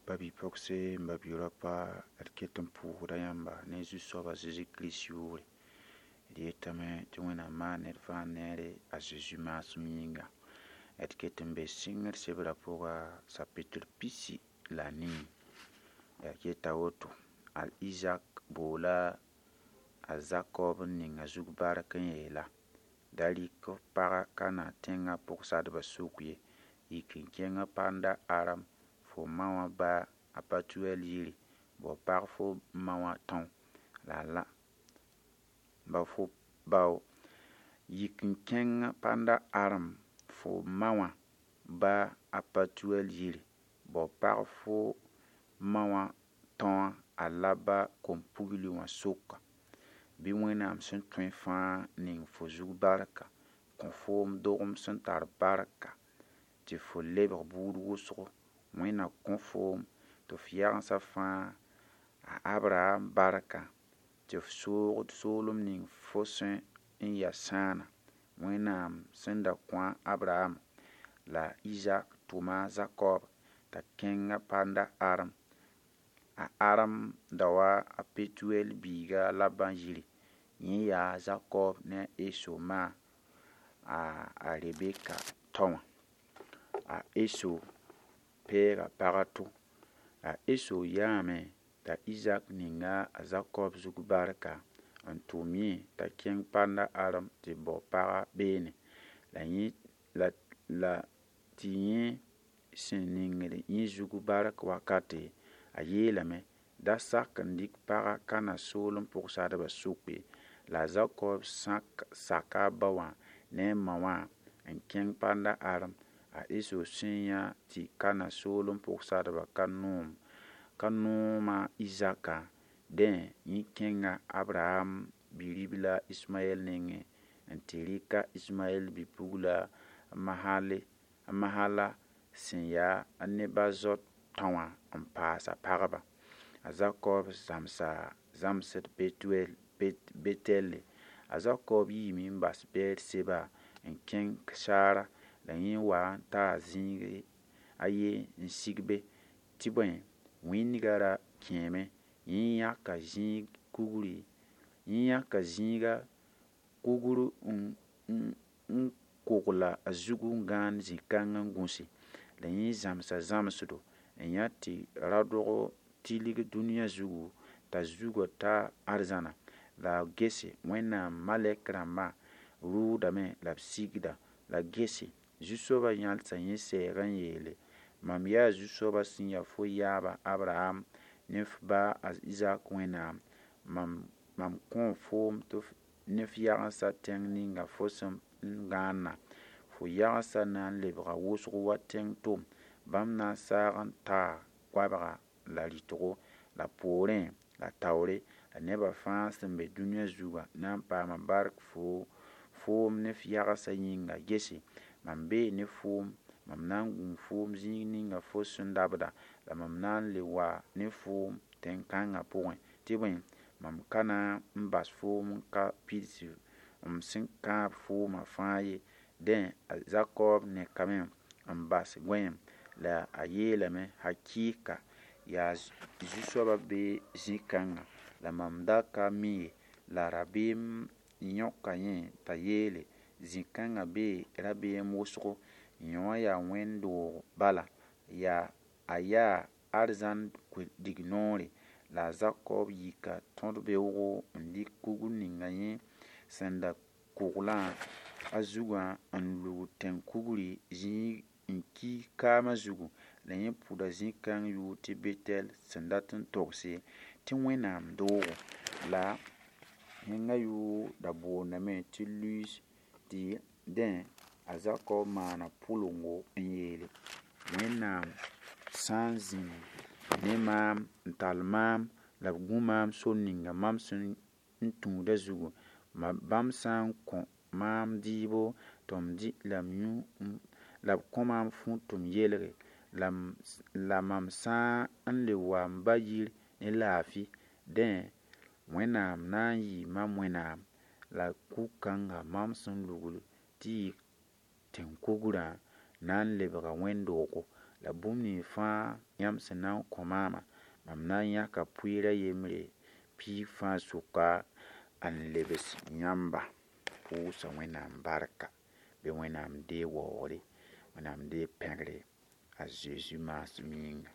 Ba-bi-pogse n ba-bi-raopa d ket n pʋʋsda yãmba ne Zu-soaba Zeezi Kirist yʋʋre. D yetame tɩ Wẽnnaam maan ned fãa neere a Zeezi maasem yĩnga. D ket n be sɩngr sebrã pʋga sapɩtr 14. La yeta woto: Al Izak boola a Zakob n ning a zug bark n yeela: Da rɩk f paga Kanã tẽngã pʋgsadbã sʋk ye, yik n kẽng Panda-Aram fo ma wã ba a Batuɛl yiri, bao pag fo ma wã tão la la ba fo bao yik n kẽng Panda-Aram fo ma wã ba a Patuɛl yiri, bao pag fo ma wã tõa a Laba kom-pugli wã sʋka. Bɩ Wẽnnaam sẽn tõe fãa ning fo zug barka, kõ foom dogem sẽn tar barka tɩ fo lebg buud wʋsgo. Wẽnna kõ foom tɩ f yagensa fãa a Abraham barkã tɩ f soogd soolem ning fo sẽn n yaa sãana. Wẽnnaam sẽn da kõ a Abraham la Izak tʋma a Zakob t'a kẽnga Panda-Aram. A Aram da wa a Petuɛl biiga Laban yiri. Yẽ yaa a Zakob ne a Eso ma a Rebeka tao wã. A Eso peega pag a to. A Eso yaame t'a Izak ninga a Zakob zug barka n tʋm yẽ t'a kẽng Panda-Aram tɩ bao paga beene. La yẽ la la tɩ yẽ sẽn ningd yẽ zug bark wakate, a yeelame: Da sak n dɩk paga Kanã soolem pʋgsadbã sʋk ye. La a Zakob saka a ba wã ne a ma wã n kẽng Panda-Aram. A Eso sẽn yã tɩ Kanã soolem pʋgsadbã ka noom a Izakã, dẽ yẽ kẽnga Abraham bi-ribla Ismaɛl nengẽ n tɩ rɩk a Ismaɛl bi-pugla Mahala sẽn yaa a Nebazot tão wã n paas a pagba. A Zakob zãmsa zãmsd Betɛle. A Zakob yiime n bas Beɛr-seba n kẽng Saara la yẽ wa n taa zĩig a ye n sig be. Tɩ bõe, wĩndgã ra kẽeme. Yẽ yãka zĩiga kugr n kogla a zugu n gãand zĩ-kãng n gũse. La yẽ zãmsa zãmsdo n yã tɩ raoodg tilg dũniyã zugu t'a zugã ta arzãna. La a gese Wẽnnaam malɛk rãmbã rʋʋdame la b sigda. La gese Zu-soabã yãlsa yẽ sɛɛg n yeele: Mam yaa Zu-soabã sẽn ya fo yaaba Abraham ne f ba a Izak Wẽnnaam. Mam kõo foom tɩ ne f yagensã tẽng ninga fo sẽn n gãanã. Fo yagensã na n lebga wʋsg wa tẽng tom. Bãmb na n saag n taa goabga la rɩtgo la poorẽ la taoore. La nebã fãa sẽn be dũniyã zugã na n paama bark foom ne f yagensã yĩnga. Gese, mam bee ne foom, mam na n gũu foom zĩig ninga fo sẽn dabda, la mam na n le wa ne foom tẽn-kãngã pʋgẽ. Tɩ bõe, mam ka na n bas foom n ka pids m sẽn kãab foomã fãa ye. Dẽ, a Zakob nekame n bas goẽem la a yeelame: Hakɩɩka, yaa Zu-soabã be zĩ-kãngã la mam da ka mi ye. La rabeem yõka yẽ t'a yeele: Zĩ-kãngã bee rabeem wʋsgo, yõ wã yaa wẽnd-doog bala, a yaa arzãn dignoore. La a Zakob yika tõd-beoogo n dɩk kugr ninga yẽ sẽn da koglã a zugã n lug tẽn-kugri zĩig n ki kaamã zugu. La yẽ pʋda zĩ-kãng yʋʋr tɩ Betɛl sẽn dat n togse tɩ Wẽnnaam doogo. La tẽngã yʋʋr da boondame tɩ Luz. Tɩ dẽ, a Zakob maana pʋlengo n yeele: Wẽnnaam sã n zĩnd ne maam n tall maam la b gũ maam sor ninga mam sẽn n tũudã zugu, bãmb sã n kõ maam dɩɩbo tɩ m dɩ la m yũ la b kõ maam fũud tɩ m yelge, la mam sã n le wa m ba yir ne laafɩ, dẽ Wẽnnaam na n yɩ mam Wẽnnaam. La kug-kãngã mam sẽn lugl tɩ yɩ tẽn-kugrã na n lebga wẽnd-doogo. La bũmb nins fãa yãmb sẽn na n kõ maamã, mam na n yãka pʋɩɩr a yembre piig fãa sʋka n lebs yãmba. Pʋʋsa Wẽnnaam barka, bɩ Wẽnnaam deeg waoogre, Wẽnnaam deeg pẽgre a Zeezi maasem yĩnga.